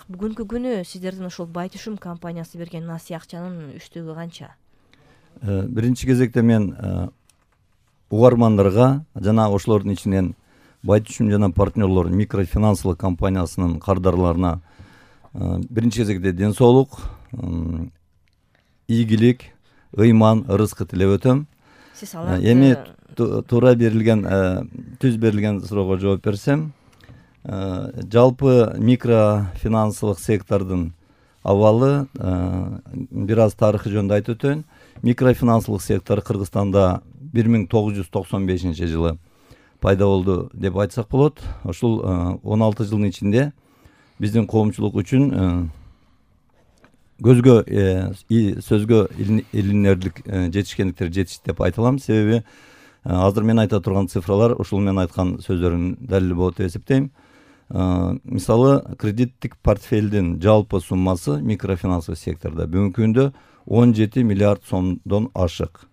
бүгүнкү күнү сиздердин ушул Байтүшүм компаниясы берген насыя акчанын үчтүгү канча? Биринчи кезекте мен угармандарга жана ошолордун ичинен Байтүшүм жана партнерлор микрофинансылык компаниясынын кардарларына биринчи кезекте ден соолук, ийгилик, ыйман, ырыскы тилеп өтөм. Сиз аларды Эми туура берилген, түз берилген суроого жооп берсем, жалпы микрофинансылык сектордун абалы бир аз тарыхы жөнүндө айтып өтөйүн. Микрофинансылык сектор Кыргызстанда 1995 жылы пайда болду деп айтсак болот. Ушул 16 жылдын ичинде биздин коомчулук үчүн көзгө сөзгө илинерлик жетишкендиктер жетишти деп айта алам. Себеби азыр мен айта турган цифралар ушул мен айткан сөздөрдүн далили болот деп эсептейм. Мисалы, кредиттик портфелдин жалпы суммасы микрофинансылык сектордо бүгүнкү күндө 17 миллиард сомдон ашык.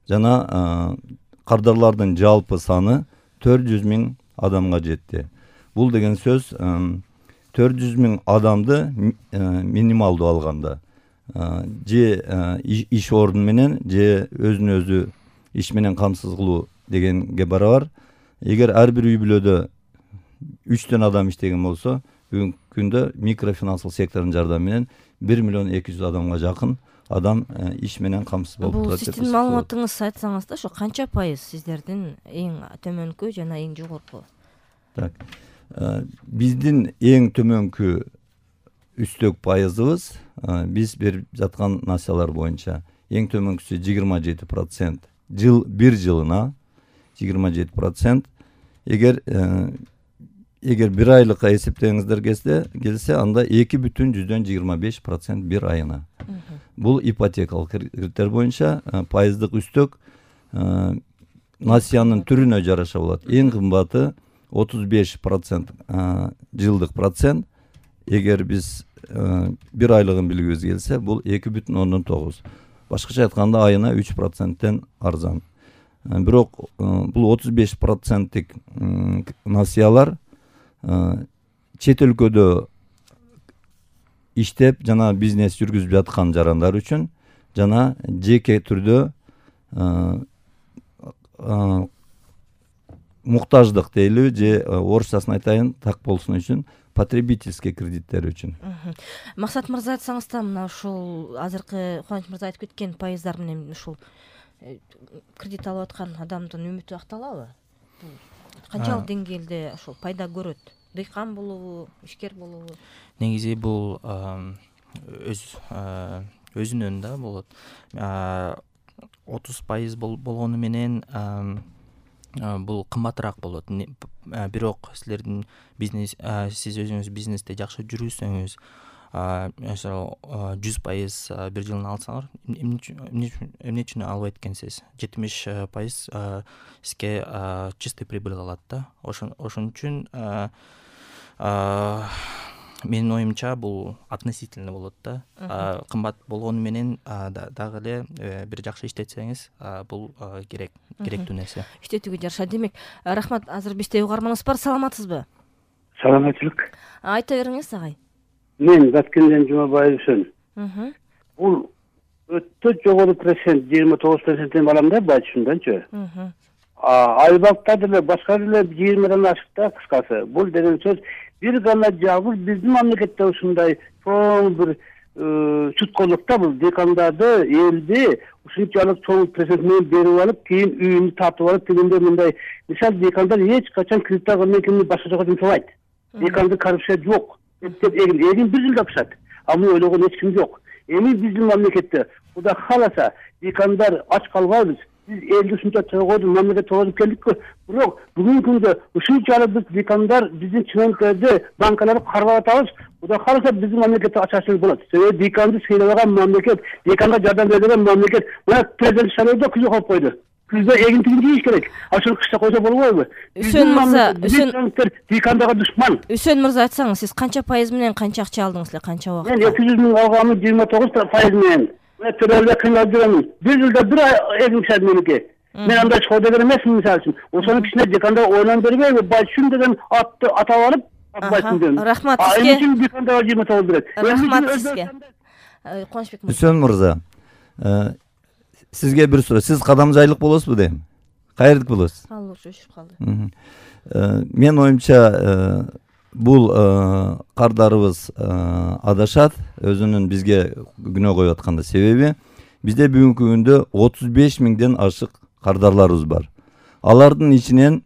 Жана кардарлардын жалпы саны 400 000 адамга жетти. Бул деген сөз 400 000 адамды минималдуу алганда же иш орду менен же өзүн өзү иш менен камсыз кылуу дегенге барабар. Эгер ар бир үй бүлөдө 3 адам иштеген болсо, бүгүнкү күндө микрофинансылык сектордун жардамы менен 1 миллион 200 адамга жакын адам иш менен камсыз болуп турат. Бул сиздин маалыматыңыз айтсаңыз да, ошо канча пайыз сиздердин эң төмөнкү жана эң жогорку? Так. Биздин эң төмөнкү үстөк пайызыбыз биз берип жаткан насыялар боюнча эң төмөнкүсү 27%. Бир жылына 27%. Эгер бир айлыкка эсептеңиздер келсе, анда 2,25% бир айына. Бул ипотекалык кредиттер боюнча пайыздык үстөк насыянын түрүнө жараша болот. Эң кымбаты 35% жылдык процент. Эгер биз бир айлыгын билгибиз келсе, бул 2,9. Башкача айтканда айына 3%тен арзан. Бирок бул 35%тик насыялар чет өлкөдө иштеп жана бизнес жүргүзүп жаткан жарандар үчүн жана жеке түрдө муктаждык дейлиби же орусчасын айтайын так болсун үчүн потребительский кредиттер үчүн. Максат мырза, айтсаңыз да, мына ушул азыркы Кубаныч мырза айтып кеткен пайыздар менен ушул кредит алып аткан адамдын үмүтү акталабы? Канчалык деңгээлде ошол пайда көрөт? Дыйкан болобу, ишкер болобу? Негизи бул өзүнөн да болот. 30% болгону менен бул кымбатыраак болот. Бирок сиз өзүңүз бизнесте жакшы жүрүсөңүз, ошо 100% бир жылына алсаңар, эмне үчүн албайт экенсиз? 70% сизге чистый прибыль калат да. Ошон үчүн менин оюмча бул относительно болот да. Кымбат болгону менен дагы эле бир жакшы иштетсеңиз, бул керектүү нерсе. Иштетүүгө жараша. Демек, рахмат. Азыр бизде угарманыбыз бар. Саламатсызбы? Саламатчылык. Айта бериңиз, агай. Мен Баткенден Жумабаевсың. Бул өтө жогору процент, 29%-тен алам да Байтүшүмдөнчү. Айбакта деле башка деле 20-дан ашык да, кыскасы. Бул деген сөз бир гана жалгыз биздин мамлекетте ушундай чоң бир чуткоолукта бул декандарды, элди ушунчалык чоң процент менен берип алып, кийин үйүнү тартып алып, дегенде мындай. Мисалы, декандар эч качан кредит алган экени башка жака жумшабайт. Деканды коррупция жок. Эгин бир жылда пышат. А муну ойлогон эч ким жок. Эми биздин мамлекетте Кудай кааласа декандар ач калбайбыз. Биз элди ушунча чогорду мамлекет чогортуп келдикпи. Бирок бүгүнкү күндө ушунчалык биз декандар биздин чыгынтарды, банкаларды кармап атабыз. Кудай кааласа биздин мамлекетте ачарчылык болот. Себеби деканды сыйлабаган мамлекет, деканга жардам берген мамлекет. Мына президент шайлоодо күзгө коюп койду. Күздө эгинтигин жийиш керек. Ошол кышта койсо болбойбу? Үсөн мырза, декандарга душман. Үсөн мырза, айтсаңыз, сиз канча пайыз менен канча акча алдыңыз эле, канча убакытта? Мен 200 000 алганмын, 29% менен. Мен төлөөлө кыйналып жүрөмүн. Бир жылда бир эгин пышат меники. Мен андай чогуу деген эмесмин, мисалы үчүн. Ошонун кичине декандар ойлонуп бербейби? Байтүшүм деген атты атап алып, Рахмат сизге. Рахмат сизге. Кубанычбек Үсөн мырза, сизге бир суроо. Сиз Кадамжайлык болосузбу дейм? Каердик болосуз? Өчүп калды. Мен оюмча бул кардарыбыз адашат, өзүнүн бизге күнөө коюп атканда себеби бизде бүгүнкү күндө 35 миңден ашык кардарларыбыз бар. Алардын ичинен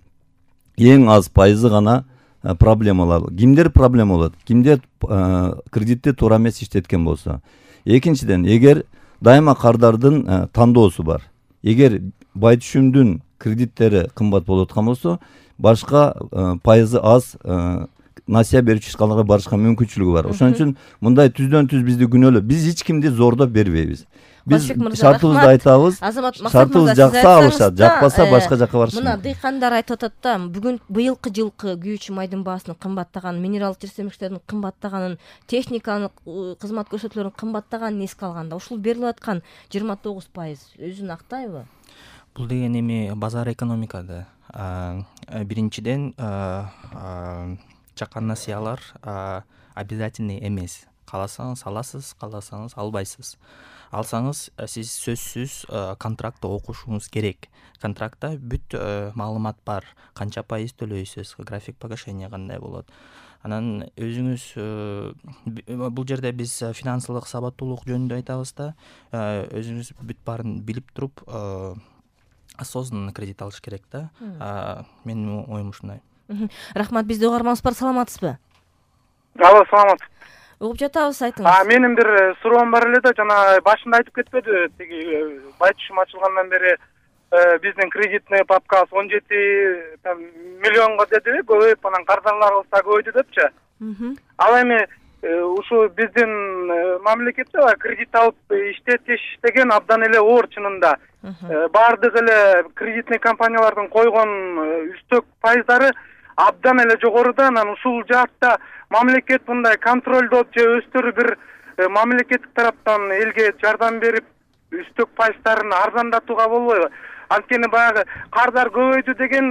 эң аз пайызы гана проблемалар. Кимдер проблема болот? Кимдер кредитти туура эмес иштеткен болсо. Экинчиден, эгер дайыма кардардын тандоосу бар. Эгер бай түшүмдүн кредиттери кымбат болуп аткан болсо, башка пайызы аз насыя берүүчү ишканаларга барышка мүмкүнчүлүгү бар. Ошон үчүн мындай түздөн түз бизди күнөөлөп, биз эч кимди зордоп бербейбиз. Биз шартыбызды айтабыз. Шартыбыз жакса алышат, жакпаса башка жакка барышат. Мына дыйкандар айтып атат да, бүгүн быйылкы жылкы күйүүчү майдын баасынын кымбаттаганын, минералдык жерсемекчилердин кымбаттаганын, техниканын кызмат көрсөтүүлөрүнүн кымбаттаганын эске алганда, ушул берилип аткан 29% өзүн актайбы? Бул деген эми базар экономикада. Биринчиден, чакан насыялар обязательный эмес. Кааласаңыз аласыз, кааласаңыз албайсыз. Алсаңыз, сиз сөзсүз контрактты окушуңуз керек. Контрактта бүт маалымат бар. Канча пайыз төлөйсүз, график погашения кандай болот. Анан өзүңүз бул жерде биз финансылык сабаттуулук жөнүндө айтабыз да, өзүңүз бүт баарын билип туруп осознанно кредит алыш керек да. Менин оюм ушундай. Рахмат, бизде угарманыбыз бар, саламатсызбы? Алло, саламат. Угуп жатабыз, айтыңыз. Менин бир суроом бар эле да, жана башында айтып кетпеди, тиги бай түшүм ачылгандан бери биздин кредитный папкабыз 17 миллионго дедиби, көбөйүп анан кардарларыбыз да көбөйдү депчи. Ал эми ушу биздин мамлекетте кредит алып иштетиш деген абдан эле оор чынында. Баардык эле кредитный компаниялардын койгон үстөк пайыздары абдан эле жогоруда. Анан ушул жаатта мамлекет мындай контролдоп же өздөрү бир мамлекеттик тараптан элге жардам берип үстөк пайыздарын арзандатууга болбойбу? Анткени баягы кардар көбөйдү деген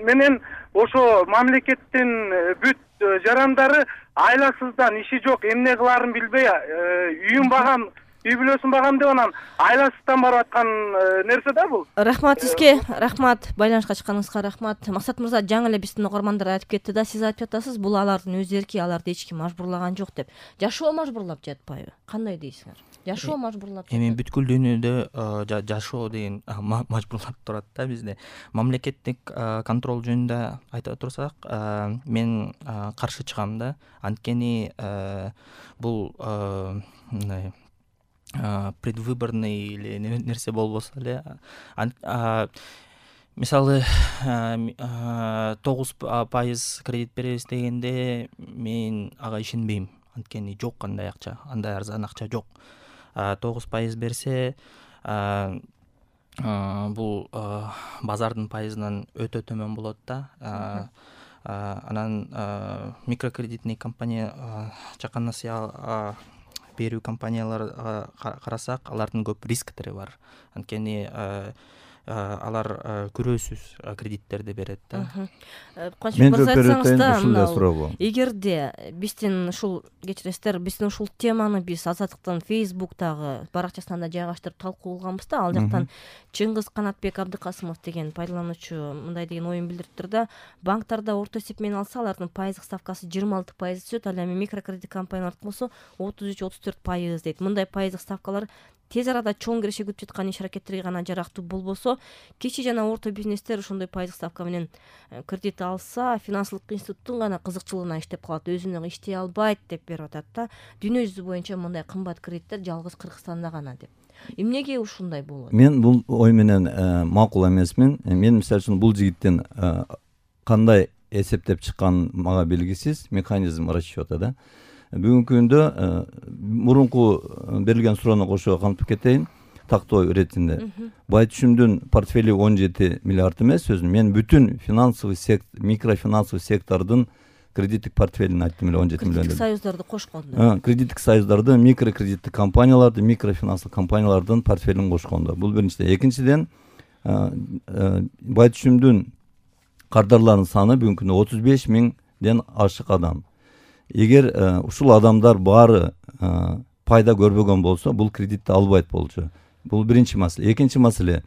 менен ошо мамлекеттин бүт жарандары айласыздан иши жок, эмне кылаарын билбей үйүн багам, үй бүлөсүн багам деп анан айласыздан барып аткан нерсе да бул. Рахмат сизге, рахмат. Байланышка чыкканыңызга рахмат. Максат мырза, жаңы эле биздин угармандар айтып кетти да, сиз айтып жатасыз, бул алардын өз эрки, аларды эч ким мажбурлаган жок деп. Жашоо мажбурлап жатпайбы? Кандай дейсиңер? Жашоо мажбурлап. Эми бүткүл дүйнөдө жашоо деген мажбурлап турат да бизде. Мамлекеттик контрол жөнүндө айтып турсак, мен каршы чыгам да. Анткени бул мындай предвыборный или нерсе болбосо эле, мисалы 9% кредит беребиз дегенде мен ага ишенбейм. Анткени жок андай акча, андай арзан акча жок. 9% берсе, бул базардын пайызынан өтө төмөн болот да. Анан микрокредитный компания, чакан насыя берүү компанияларга карасак, алардын көп рисктери бар. Анткени алар күрөөсүз кредиттерди берет да. Кубанычбек мырза, айтсаңыз да, эгерде биздин ушул кечиресиздер, биздин ушул теманы биз Азаттыктын Facebook'тагы баракчасына да жайгаштырып талкуу кылганбыз да, ал жактан Чыңгыз Канатбек Абдыкасымов деген пайдалануучу мындай деген оюн билдириптир да, банктарда орто эсеп менен алса, алардын пайыздык ставкасы 26% түшөт, ал эми микрокредит компаниялардыкы болсо 33-34% дейт. Мындай пайыздык ставкалар тез арада чоң киришигип жаткан иш аракеттерге гана жарактуу болбосо, кичи жана орто бизнестер ошондой пайыздык ставка менен кредит алса, финансылык институттун гана кызыкчылыгына иштеп калат, өзүнө иштей албайт деп берип атат да. Дүйнө жүзү боюнча мындай кымбат кредиттер жалгыз Кыргызстанда гана деп. Эмнеге ушундай болот? Мен бул ой менен макул эмесмин. Мен мисалы үчүн бул жигиттин кандай эсептеп чыккан мага белгисиз, механизм расчёта да. Бүгүнкү күндө мурунку берилген суроону кошо камтып кетейин. Тактоо иретинде бай түшүмдүн портфели 17 миллиард эмес, сөзүн мен бүтүн финансовый сектор, микрофинансовый сектордун кредиттик портфелин айттым эле 17 миллион. Кредиттик союздарды кошкондо. Кредиттик союздарды, микрокредиттик компанияларды, микрофинансылык компаниялардын портфелин кошкондо. Бул биринчиден. Экинчиден, бай түшүмдүн кардарларынын саны бүгүнкү күндө 35 миң ашык адам. Эгер ушул адамдар баары пайда көрбөгөн болсо, бул кредитти албайт болчу. Бул биринчи маселе. Экинчи маселе,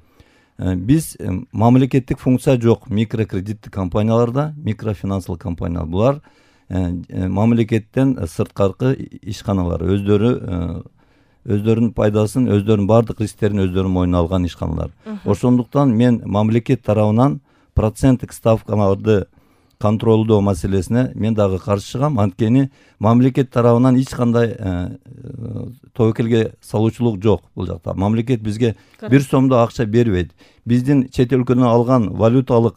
биз мамлекеттик функция жок микрокредиттик компанияларда, микрофинансылык компаниялар. Булар мамлекеттен сырткаркы ишканалар, өздөрүнүн пайдасын, өздөрүнүн баардык рисктерин өздөрүнүн мойнуна алган ишканалар. Ошондуктан мен мамлекет тарабынан проценттик ставкаларды контролдоо маселесине мен дагы каршы чыгам. Анткени мамлекет тарабынан эч кандай тобокелге салуучулук жок бул жакта. Мамлекет бизге 1 сомдо акча бербейт. Биздин чет өлкөдөн алган валюталык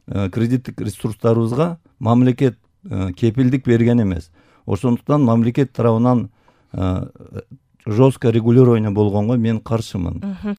кредиттик ресурстарыбызга мамлекет кепилдик берген эмес. Ошондуктан мамлекет тарабынан жестко регулирование болгонго мен каршымын.